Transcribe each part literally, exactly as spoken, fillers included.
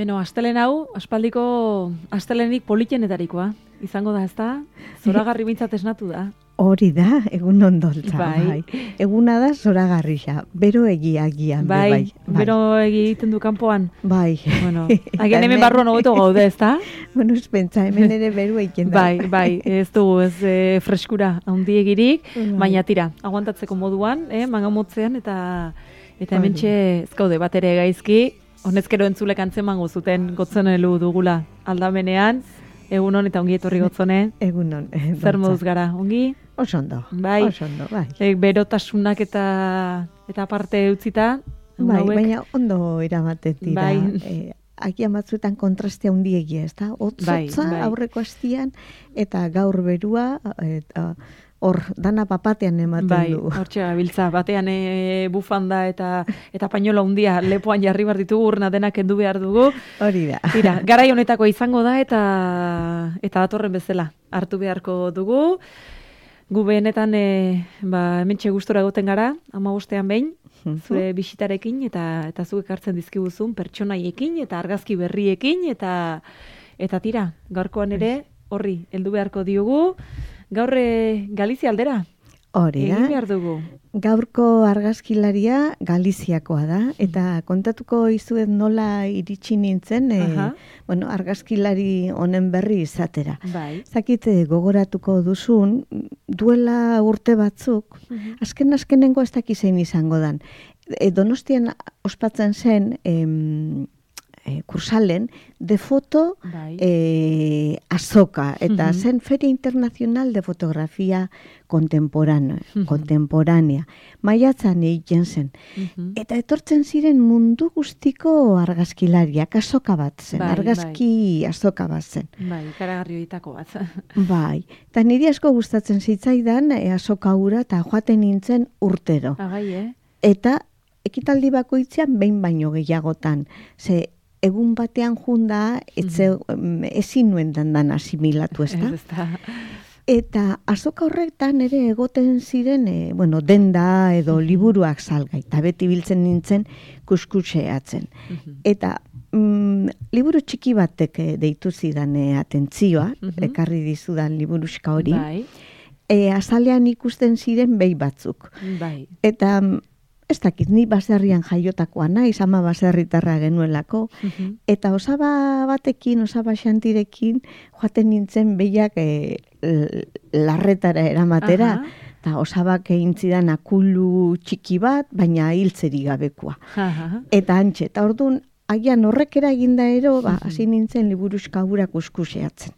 Beno, astelen hau, aspaldiko astelenik politenetarikoa. Izango da, ezta? Zoragarri bintzat esnatu da. Hori da, egun ondoltza. Bai. bai. Eguna da zoragarria, bero egiagian. Bai, bai, bai. bero egiten du kanpoan. Bai. Bueno, agian hemen barruan hobeto gaude, ezta? Bueno, ez pentsa, hemen ere beru egiten da. Bai, bai, ez dugu, ez e, freskura handiegirik, Bai. baina tira, aguantatzeko moduan, eh, mangamotzean, eta eta hementxe ez gaude bat ere gaizki, honezkero entzulek antzemango zuten gotzen elu dugula aldamenean, egunon eta ongi etorri gotzone. Egunon. Eh, Zer moduz gara, ongi? Oso ondo, Bai. oso ondo, bai. E, berotasunak eta eta parte utzita, egun Bai, hauek. baina ondo eramaten dira. Bai. Eh, agian batzuetan kontrastea handiegia, ez da? Hotzotza Bai, bai. aurreko astian eta gaur berua, eta hor dana papatean ematen Bai, du. hortxe gabiltza, batean e, bufanda eta eta pañola handia lepoan jarri behar ditugu, urna denak kendu behar dugu. Hori da. Tira, garai honetako izango da eta eta datorren bezala hartu beharko dugu. Gu benetan e, ba, hementxe gustora egoten gara, hamabostean behin, zure bisitarekin eta eta zuk ekartzen dizkiguzun pertsonaiekin eta argazki berriekin eta eta tira, gaurkoan ere horri heldu beharko diogu. Gaur e, Galizia aldera. Hori da. Egin behar dugu. Gaurko argazkilaria Galiziakoa da, eta kontatuko izuet nola iritsi nintzen, e, Aha. bueno, argazkilari honen berri izatera. Bai. Zakit gogoratuko duzun, duela urte batzuk, azken azkenengo ez dakizein izango dan. E, Donostian ospatzen zen, em, e, kursalen, de foto Bai. e, azoka, eta Mhm. zen Feria Internacional de Fotografia Contemporánea, Mhm. contemporánea. Maiatzan egiten zen. Mhm. Eta etortzen ziren mundu guztiko argazkilariak, azoka bat zen, Bai, argazki azoka bat zen. Bai, ikaragarri horietako bat. Bai, eta niri asko gustatzen zitzaidan e, azoka hura eta joaten nintzen urtero. Agai, eh? Eta ekitaldi bakoitzean behin baino gehiagotan. Ze egun batean junda etze, mm, ezin nuen dandan asimilatu, ez da? Ez, ez da. Eta azoka horretan ere egoten ziren, e, bueno, denda edo liburuak salgai, eta beti biltzen nintzen kuskuseatzen. Mhm. Eta mm, liburu txiki batek eh, deitu zidan eh, atentzioa, Mhm. ekarri dizudan liburuska hori, Bai, e, azalean ikusten ziren behi batzuk. bai. Eta mm, ez dakit, ni baserrian jaiotakoa naiz, ama baserritarra genuelako, Mhm. eta osaba batekin, osaba xantirekin, joaten nintzen behiak e, larretara eramatera, Aha. eta osabak egin zidan akulu txiki bat, baina hiltzeri gabekoa. Aha. Eta antxe, eta orduan, agian horrekera eginda ero, ba, hasi nintzen liburuska hura kuskuseatzen.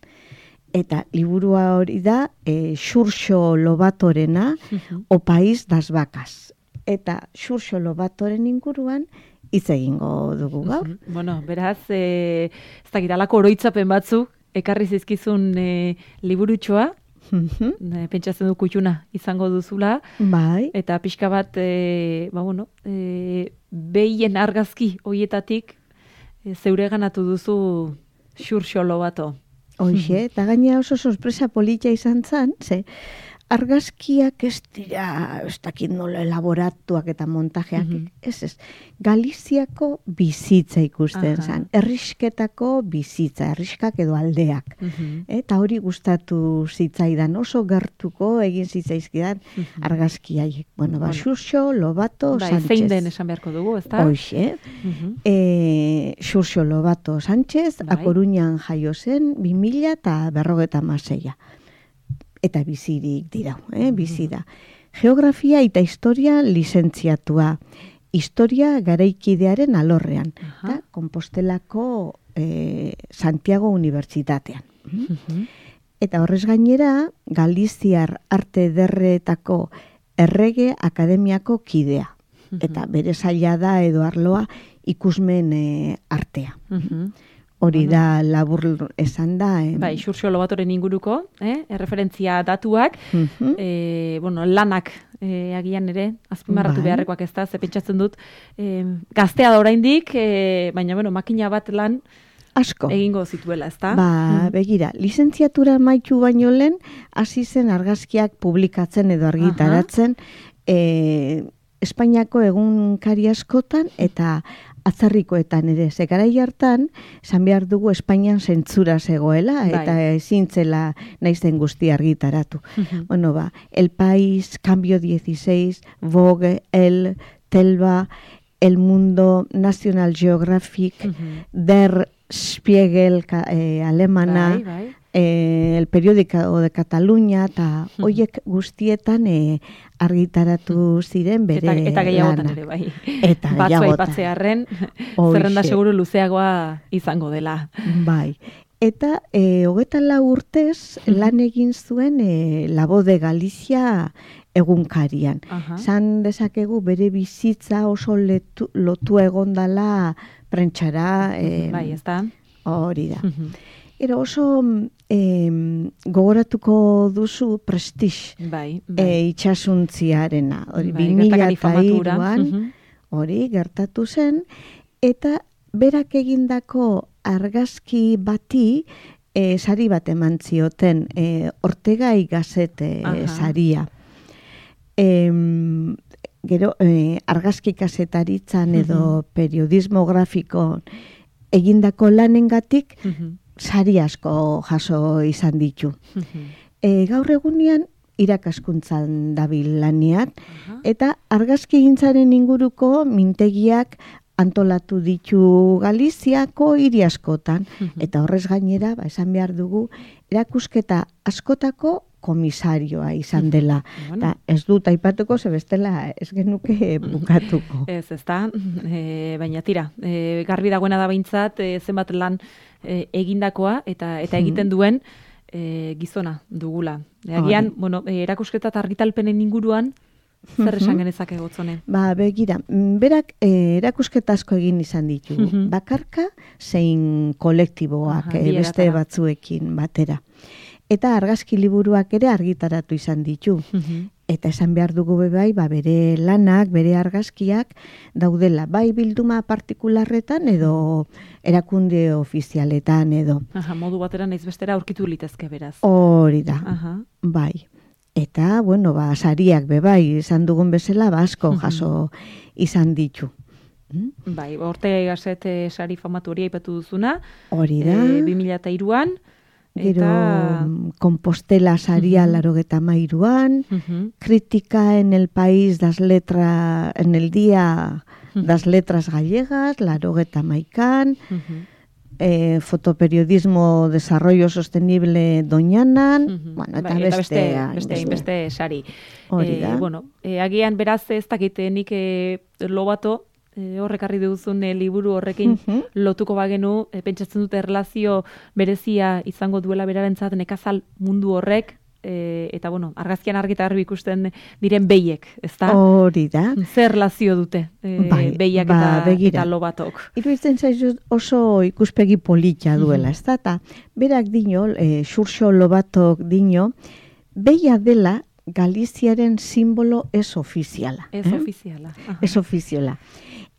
Eta liburua hori da, e, Xurxo Lobatorena, Mhm. O País das Vacas. Eta Xurxo Lobatoren inguruan hitz egingo dugu gaur. Mhm. Bueno, beraz, e, ez dakit, alako oroitzapen batzuk, ekarri zizkizun e, liburutxoa, Mhm. e, pentsatzen du kutxuna izango duzula, Bai, eta pixka bat, e, ba bueno, e, behien argazki hoietatik e, zeure ganatu duzu Xurxo Lobato. hoxe, eta gaina oso sorpresa polita izan zen, ze argazkiak ez dira, ez dakit nola elaboratuak eta montajeak, Mhm. ez ez, Galiziako bizitza ikusten Aha. zen, errisketako bizitza, erriskak edo aldeak. Mhm. Eta hori gustatu zitzaidan, oso gertuko egin zitzaizkidan Mhm. argazkiaiek. Bueno, ba, Bueno. Xurxo Lobato Bai, Sánchez. zein den esan beharko dugu, ezta? Hoxe, Mhm. e, Xurxo Lobato Sánchez, Bai. A Coruñan jaio zen, bi mila eta berrogeta hamaseia. Eta bizirik dira, eh, bizi da. Geografia eta historia lizentziatua. Historia garaikidearen alorrean. Aha. Eta Kompostelako e, Santiago Unibertsitatean. Mhm. Eta horrez gainera, Galiziar Arte Ederretako Errege Akademiako kidea. Eta bere saila da edo arloa ikusmen e, artea. Mhm. Hori da labur esan da. Eh? Bai, Xurxo Lobatoren inguruko, eh? erreferentzia datuak, Mhm. e, bueno, lanak e, agian ere, azpimarratu Bai. beharrekoak ez da, ze pentsatzen dut, e, gaztea da oraindik, e, baina, bueno, makina bat lan Asko. egingo zituela, ez da? Ba, begira, lizentziatura maitu baino lehen, hasi zen argazkiak publikatzen edo argitaratzen, e, Espainiako egunkari askotan eta atzarrikoetan ere, ze garai hartan, esan behar dugu Espainian zentzura zegoela, Bai. eta ezin zela naizen guzti argitaratu. Bueno, ba, El País, Cambio dieciséis, Vogue, El, Telva, El Mundo, National Geographic, Der Spiegel ka, eh, alemana, Bai, bai. eh, El Periódico de Cataluña, eta hoiek guztietan eh, argitaratu ziren bere Eta, eta gehiagotan lanak. ere, bai. Eta Batzu gehiagotan. aipatzearren, Hoxe. zerrenda seguru luzeagoa izango dela. Bai. Eta e, hogeta lau urtez lan egin zuen e, La Voz de Galicia egunkarian. Aha. Zan dezakegu bere bizitza oso letu, lotu egondala prentxara. E, Bai, ez da? Hori da. Era oso em, gogoratuko duzu Prestige Bai, e, bai. itxasuntziarena. Hori, Bai, bi mila gertakari eta famatura. hiruan, Mhm. hori, gertatu zen, eta berak egindako argazki bati e, sari bat eman zioten, e, Ortegai Gazete Aha. saria. Em, gero, e, argazki kazetaritzan edo periodismo grafiko egindako lanengatik Mhm. sari asko jaso izan ditu. Mhm. E, gaur egunean irakaskuntzan dabil lanean, Aha. eta argazkigintzaren inguruko mintegiak antolatu ditu Galiziako hiri askotan, eta horrez gainera, ba, esan behar dugu, erakusketa askotako komisarioa izan dela. Bueno. Eta ez dut aipatuko, ze bestela ez genuke bukatuko. Ez, ez da, e, baina tira, e, garbi dagoena da behintzat, e, zenbat lan e, egindakoa eta eta egiten duen e, gizona dugula. E, agian, Hori. bueno, e, erakusketa eta argitalpenen inguruan, zer esan genezake gotzone? Ba, begira, mm, berak eh, erakusketa asko egin izan ditu. Mhm. Bakarka zein kolektiboak Aha, eh, bi beste eratara. batzuekin batera. Eta argazki liburuak ere argitaratu izan ditu. Mhm. Eta esan behar dugu be bai, ba, bere lanak, bere argazkiak daudela, bai bilduma partikularretan edo erakunde ofizialetan edo. Aha, modu batera naiz bestera aurkitu litezke beraz. Hori da, Aha. bai. Eta, bueno, ba, sariak be bai, izan dugun bezala, ba, asko jaso izan ditu. Mm? Bai, Ortega Gazet e, sari famatu hori aipatu duzuna, Hori da. e, bi mila hiruan, Gero eta... mm, Compostela saria Mhm. larogeta mairuan, Mhm. crítica en el país das letras, en el día das letras gallegas, larogeta maikan, Mhm. eh, fotoperiodismo desarrollo sostenible Doñanan, Mhm. bueno, eta Bai, beste, beste, hainbeste. beste, beste sari. Hori Eh, da. bueno, eh, agian beraz ez dakite nik eh, lobato, eh, horrekarri duzun eh, liburu horrekin Mhm. lotuko bagenu, eh, pentsatzen dute erlazio berezia izango duela berarentzat nekazal mundu horrek, eh, eta bueno, argazkian argita garbi ikusten diren behiek, ezta? Hori da. Zer erlazio dute eh, Bai, behiak ba, eta, begira. eta lobatok? Iruditzen zaizu oso ikuspegi polita duela, ez da? Ta berak dino, e, Xurxo Lobatok dino, beia dela Galiziaren simbolo ez ofiziala. Ez eh? ofiziala. Aha. Ez ofiziala.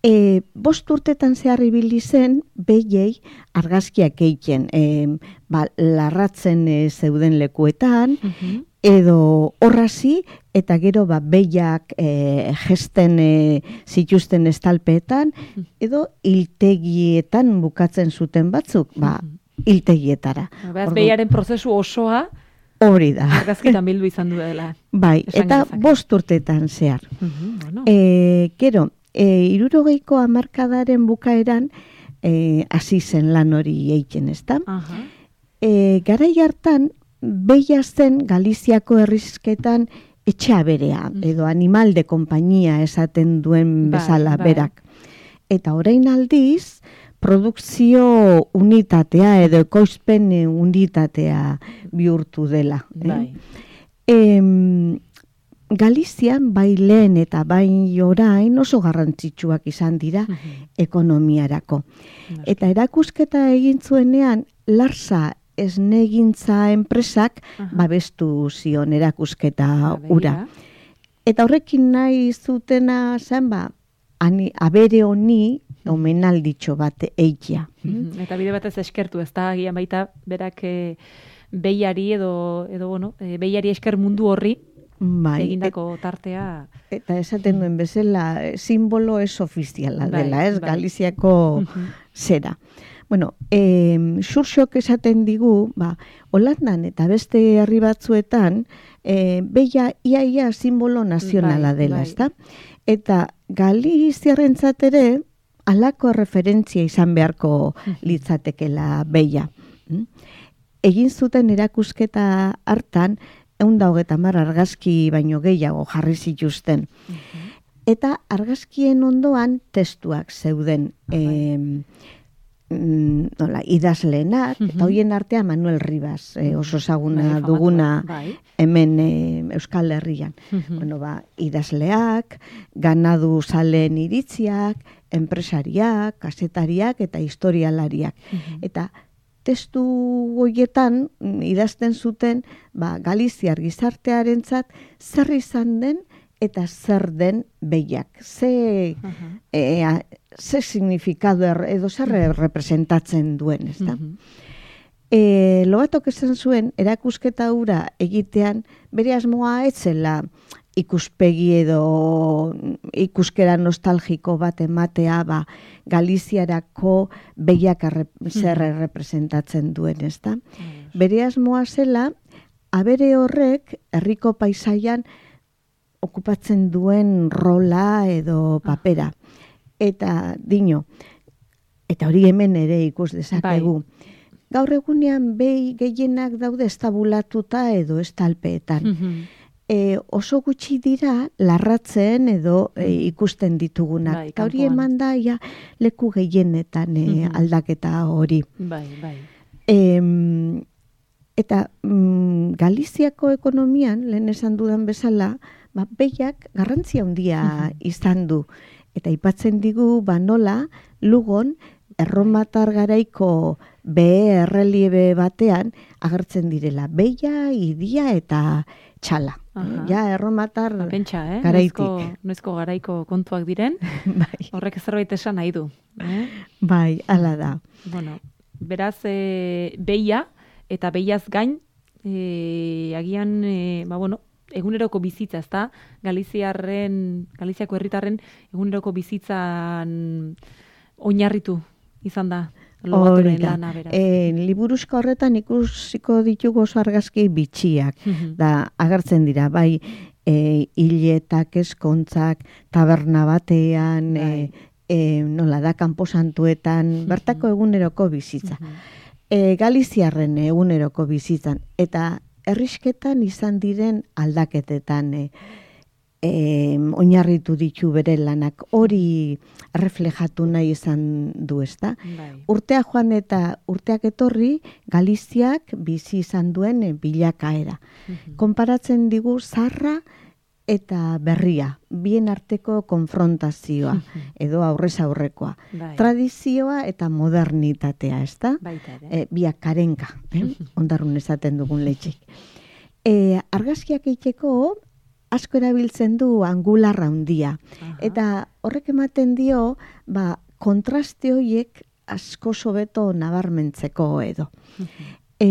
E, bost urtetan zehar ibili zen, behiei argazkiak egiten, e, ba, larratzen e, zeuden lekuetan, Mhm. edo horrazi, eta gero ba, behiak e, gesten e, zituzten estalpeetan, edo hiltegietan bukatzen zuten batzuk, ba, hiltegietara. Beraz, Ordu- behiaren prozesu osoa Hori da. argazkitan bildu izan duela. Bai, Esan eta genezake. bost urtetan zehar. Mhm, bueno. E, gero, e, irurogeiko hamarkadaren bukaeran e, hasi zen lan hori egiten, ezta? Aha. E, garai hartan, behia zen Galiziako herrizketan etxeaberea, edo animal de kompainia esaten duen Bai, bezala bai. berak. Eta orain aldiz, produkzio unitatea edo ekoizpen unitatea bihurtu dela. eh? Bai. Em, Galizian bai lehen eta bai orain oso garrantzitsuak izan dira ekonomiarako. Eta erakusketa egin zuenean, Larsa esnegintza enpresak Aha. babestu zion erakusketa Ba, begira. ura. Eta horrekin nahi zutena zen, ba, ani, abere honi omenalditxo bat eikia. Mhm. Eta bide batez eskertu, ez da, agian baita, berak e, behiari edo, edo bueno, e, behiari esker mundu horri, bai, egindako tartea. Eta esaten duen bezala, simbolo ez ofiziala dela, ez, bai, Galiziako zera. Bueno, eh, Xurxok esaten digu, ba, Holandan eta beste herri batzuetan, eh, beia iaia simbolo nazionala dela, bai, ezta? Eta Galiziarrentzat ere, halako referentzia izan beharko litzatekela beia. Egin zuten erakusketa hartan, ehun eta hogeita hamar argazki baino gehiago jarri zituzten. Eta argazkien ondoan testuak zeuden. Eh, nola, idazleenak, uh-huh, eta hoien artean Manuel Rivas, eh, oso ezaguna duguna bai, hemen eh, Euskal Herrian. Uh-huh. Bueno, ba, idazleak, ganadu zaleen iritziak, enpresariak, kasetariak eta historialariak. Uh-huh. Eta testu horietan idazten zuten, ba, Galiziar gizartearentzat zer izan den eta zer den behiak. Ze, uh-huh, e, a, ze signifikado er, edo zer uh-huh, representatzen duen, ez da? Uh-huh. E, Lobatok esan zuen, erakusketa hura egitean, bere asmoa etzela ikuspegi edo ikuskera nostalgiko bat ematea, ba, Galiziarako behiak arre, zer representatzen duen, ez da? Uh-huh. Bere asmoa zela, abere horrek, herriko paisaian, okupatzen duen rola edo papera. Eta dino, eta hori hemen ere ikus dezakegu. Bai. Gaur egunean behi gehienak daude estabulatuta edo estalpeetan. Mm-hmm. E, oso gutxi dira larratzen edo e, ikusten ditugunak. Bai, eta hori eman da ja, leku gehienetan e, mm-hmm, aldaketa hori. Bai, bai. E, eta mm, Galiziako ekonomian, lehen esan dudan bezala, ba, behiak garrantzia handia izan du. Eta aipatzen digu, ba, nola, Lugon, erromatar garaiko behe erreliebe batean agertzen direla. Behia, idia eta txala. Aha. Ja, erromatar ba, pentsa, eh? garaitik. Noizko, noizko garaiko kontuak diren, bai, horrek zerbait esan nahi du. Eh? Bai, hala da. Bueno, beraz, e, behia eta behiaz gain, e, agian, e, ba, bueno, eguneroko bizitza, ezta? Galiziarren, Galiziako herritarren eguneroko bizitzan oinarritu izan da. Lobaturen lana, beraz. E, liburuzko horretan ikusiko ditugu oso argazki bitxiak. Mm-hmm. Da, agertzen dira, bai, e, hiletak, eskontzak, taberna batean, bai, e, e, nola da, kanposantuetan, mm-hmm, bertako eguneroko bizitza. Mm-hmm. E, Galiziarren eguneroko bizitzan. Eta herrisketan izan diren aldaketetan e, e, oinarritu ditu bere lanak, hori reflejatu nahi izan du, ezta? Bai. Urtea joan eta urteak etorri, Galiziak bizi izan duen e, bilakaera. Mm-hmm. Konparatzen digu zarra eta berria, bien arteko konfrontazioa, mm-hmm, edo aurrez aurrekoa. Bai. Tradizioa eta modernitatea, ezta? Baita, e, biak karenka, eh? Ondarrun esaten dugun leitxik. E, argazkiak eiteko asko erabiltzen du angularra handia. Aha. Eta horrek ematen dio, ba, kontraste horiek asko sobeto nabarmentzeko edo. Uh-huh. E,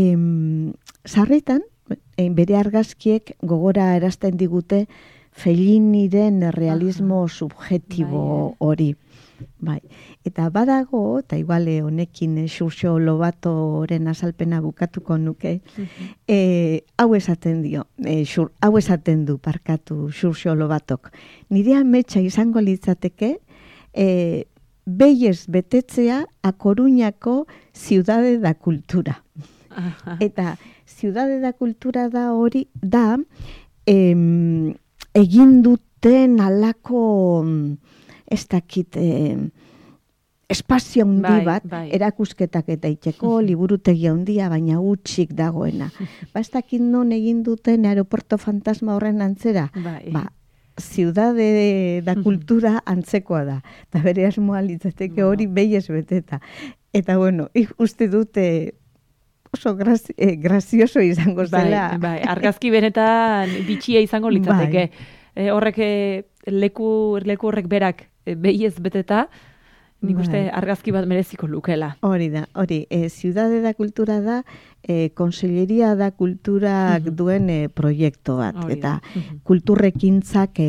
sarritan, bere argazkiek gogora erazten digute Felliniren realismo uh-huh, subjetibo hori. Bai. Eta badago, eta iguale honekin Xurxo Lobatoren azalpena bukatuko nuke, uh-huh, e, hau esaten dio, e, xur, hau esaten du parkatu Xurxo Lobatok. Nire ametsa izango litzateke, e, behiez betetzea A Coruñako Ciudade da Cultura. Uh-huh. Eta Ciudade da Cultura da hori, da, em, egin duten alako, ez dakit, eh, espazio handi bai, bat, bai, erakusketak eta itxeko, liburutegi handia, baina hutsik dagoena. Ba, ez dakit non egin duten aeropuerto fantasma horren antzera, bai, ba, Ciudade da Cultura antzekoa da. Eta bere asmoa litzateke hori behiez beteta. Eta bueno, uste dute oso grazi, eh, grazioso izango zela. Bai, bai, argazki benetan bitxia izango litzateke. Bai. E, horrek leku, leku horrek berak behiez beteta, nik uste argazki bat mereziko lukela. Hori da, hori, e, Ciudade da Kultura da, e, Konselleria da Kulturak uh-huh. duen e, proiektu bat, hori eta uh-huh. kulturrekintzak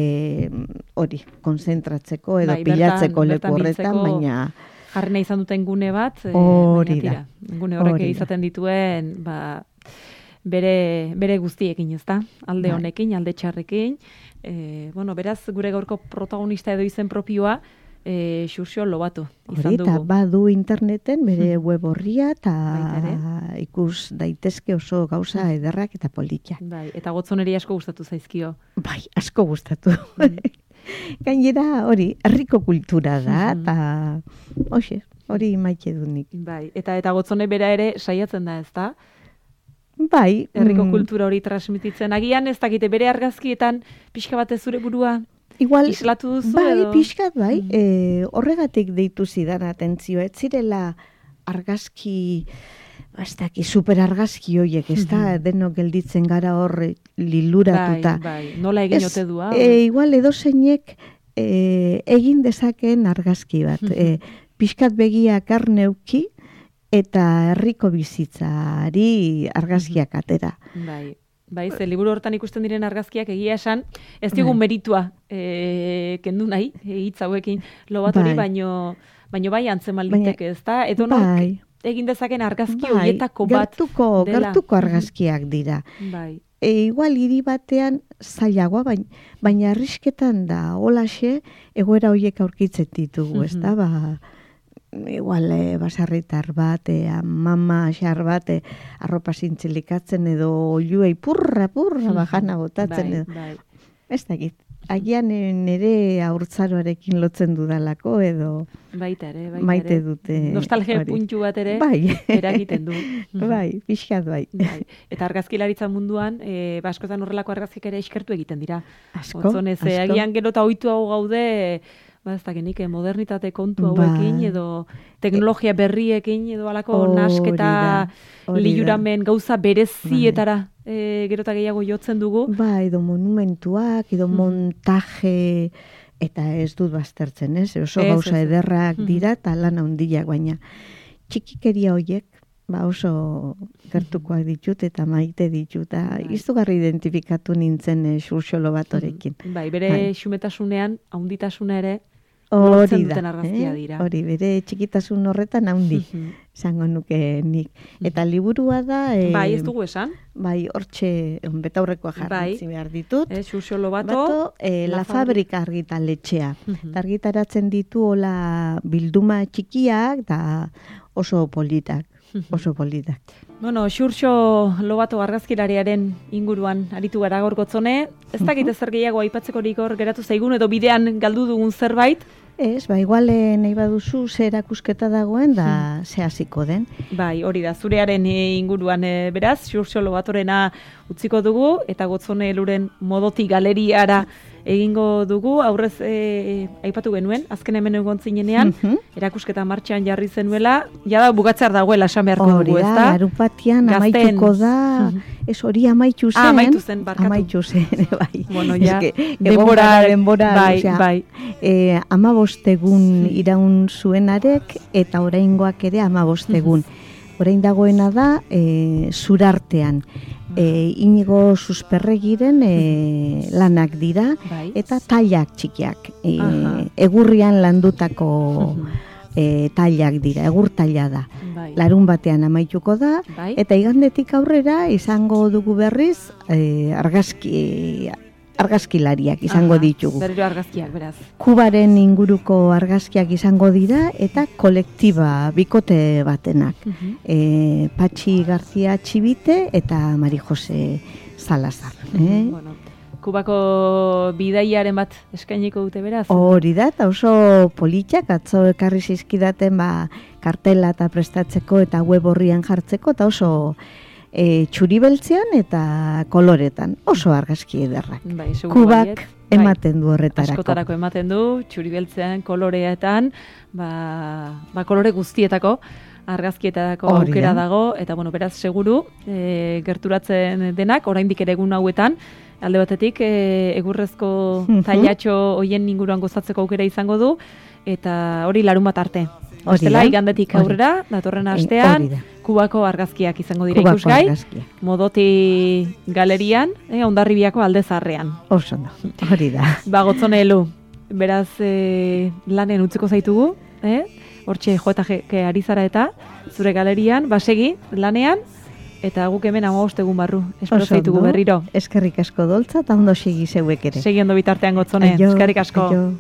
hori, e, konzentratzeko edo bai, pilatzeko leku horretan, baina... Jarrena izan duten gune bat, hori e, da. Gune horrek izaten dituen, ba, bere, bere guztiekin, ez da? Alde honekin, alde txarrekin. E, bueno, beraz, gure gaurko protagonista edo izen propioa, E, Xurxo Lobato izan dugu. Eta badu interneten bere web horria eta ikus daitezke oso gauza ederrak eta politak. Bai, eta gotzoneri asko gustatu zaizkio. Bai, asko gustatu. Mm. Gainera hori, herriko kultura da, eta hoxe, hori maite du nik. Bai, eta eta gotzone bera ere saiatzen da, ezta? Bai. Herriko mm. kultura hori transmititzen. Agian ez dakite bere argazkietan pixka batez zure burua igual, islatu duzu bai, edo? Pixkat, bai, mm. e, horregatik deitu zidan atentzio, ez zirela argazki, bastaki, super argazki hoiek, ez da, mm-hmm. denok gelditzen gara hor liluratuta. Bai, bai, nola egin ote du, hau? E, igual edo zeinek e, egin dezaken argazki bat, mm-hmm. e, pixkat begiak arneuki, eta herriko bizitzari argazkiak atera. Bai. Bai, ze liburu hortan ikusten diren argazkiak egia esan, ez digun meritua e, kendu nahi, hitz hauekin Lobatori, bai. baino, baino bai antzeman liteke, ez da? Edo bai. egin dezaken argazki bai. horietako bat gertuko, dela. Gertuko argazkiak dira. Bai. E, igual hiri batean zailagoa, baina, baina arrisketan da, holaxe, egoera horiek aurkitzen ditugu, ez da? Ba, igual e, basarritar bat, e, mama xar bat, e, arropa zintzilikatzen edo oiluei purra, purra, bajana botatzen bai, edo. Bai. Ez dakit, agian nire haurtzaroarekin lotzen dudalako edo baita ere, baita maite ere. dute. Nostalgia puntu bat ere bai. eragiten du. Bai, pixkat bai. bai. Eta argazkilaritza munduan, e, baskotan horrelako argazkik ere eskertu egiten dira. Asko, Otzonez, asko. Agian gero eta ohitu hau gaude, ba, ez dakinik, modernitate kontu hauekin, ba. edo teknologia berriekin, edo alako nasketa liuramen gauza berezietara e, gero eta gehiago jotzen dugu. Ba, edo monumentuak, edo montaje, eta ez dut baztertzen, ez? Oso ez, gauza ez, ederrak dira, eta lan handiak, baina txikikeria horiek, ba oso gertukoak ditut eta maite ditut, eta izugarri identifikatu nintzen e, Xurxo Lobatorekin. Bai, bere bai. xumetasunean, haunditasuna ere, hori da, argazkia dira. Hori, bere txikitasun horretan haundi, esango nuke nik. Eta liburua da... E, bai, ez dugu esan. Bai, hortxe, betaurrekoa jarritzi bai. behar ditut. Eh, Xurxo Lobato. Bato, e, La, la Fabrika argitaletxea. Uh-huh. Argitaratzen ditu hola bilduma txikiak, da oso politak. Oso politak. Bueno, Xurxo Lobato argazkilariaren inguruan aritu gara gaur Gotzone. Ez dakit ezer gehiago aipatzekorik hor geratu zaigun edo bidean galdu dugun zerbait? Ez, ba, igual nahi baduzu ze erakusketa dagoen da ze hasiko den. Bai, hori da, zurearen inguruan e, beraz, Xurxo Lobatorena utziko dugu, eta Gotzone Eluren Modoti galeriara egingo dugu, aurrez e, aipatu genuen, azken hemen egon zinenean, uh-huh. erakusketa martxan jarri zenuela, jada bugatzear dagoela esan beharko dugu, ez da? Hori da, larunbatian amaituko da, ez hori amaitu zen. Ah, amaitu zen, barkatu. Amaitu zen, bai. Bueno, ja, denbora, denbora, bai, osea, bai. E, amabostegun iraun zuenarek, eta oraingoak ere amabostegun. Orain dagoena da, e, zurartean. E, Inigo Susperregiren e, lanak dira, bai. Eta tailak txikiak. E, egurrian landutako e, tailak dira, egur taila da. Bai. Larun batean amaituko da, bai. Eta igandetik aurrera izango dugu berriz e, argazki... argazkilariak izango Aha, ditugu. Berriro argazkiak, beraz. Kubaren inguruko argazkiak izango dira eta kolektiba bikote batenak. Uh-huh. e, Patxi Garzia Txibite eta Mari Jose Salazar. Uh-huh. eh? Bueno, Kubako bidaiaren bat eskainiko dute beraz? Hori da, eta oso politxak atzo ekarri zizkidaten ba, kartela eta prestatzeko eta web horrian jartzeko, eta oso... E, txuribeltzean eta koloretan, oso argazki ederrak. Bai, Kubak baiet, ematen du horretarako. Askotarako ematen du, txuribeltzean, koloreetan, ba, ba kolore guztietako argazkietako aukera dago, eta bueno, beraz seguru, e, gerturatzen denak, oraindik ere egun hauetan, alde batetik, e, egurrezko tailatxo hoien inguruan gozatzeko aukera izango du, eta hori larun bat arte. Hori Ostela, da, igandetik hori. aurrera, datorren Eh, astean, hori da. Kubako argazkiak izango dira Kubako ikusgai, argazkiak. Modoti galerian, eh, Hondarribiako alde zarrean. Oso ondo, hori da. Ba, gotzone elu, beraz eh, lanen utziko zaitugu, eh? Hortxe jo eta je, ari zara eta zure galerian, basegi lanean, eta guk hemen hamabost egun barru, espero Oso zaitugu ondo. berriro. Eskerrik asko doltza, eta ondo segi zeuek ere. Segi ondo bitartean gotzone, Aio, eskerrik asko. aio.